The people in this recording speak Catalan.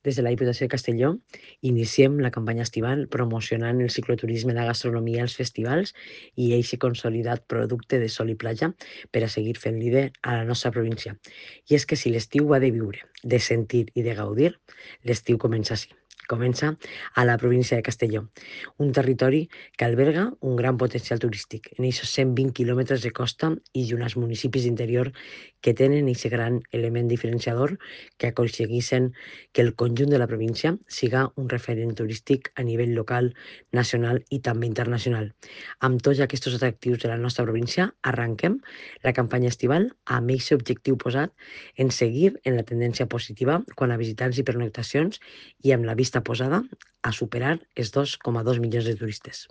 Des de la Diputació de Castelló iniciem la campanya estival promocionant el cicloturisme de gastronomia als festivals i eixe consolidat producte de sol i platja per a seguir fent líder a la nostra província. I és que si l'estiu ha de viure, de sentir i de gaudir, l'estiu comença així. Comença a la província de Castelló, un territori que alberga un gran potencial turístic en aquests 120 quilòmetres de costa i uns municipis d'interior que tenen aquest gran element diferenciador que aconsegueixen que el conjunt de la província siga un referent turístic a nivell local, nacional i també internacional. Amb tots aquests atractius de la nostra província, arranquem la campanya estival amb aquest objectiu posat en seguir en la tendència positiva quant a visitants i pernoctacions i amb la vista posada a superar els 2,2 milions de turistes.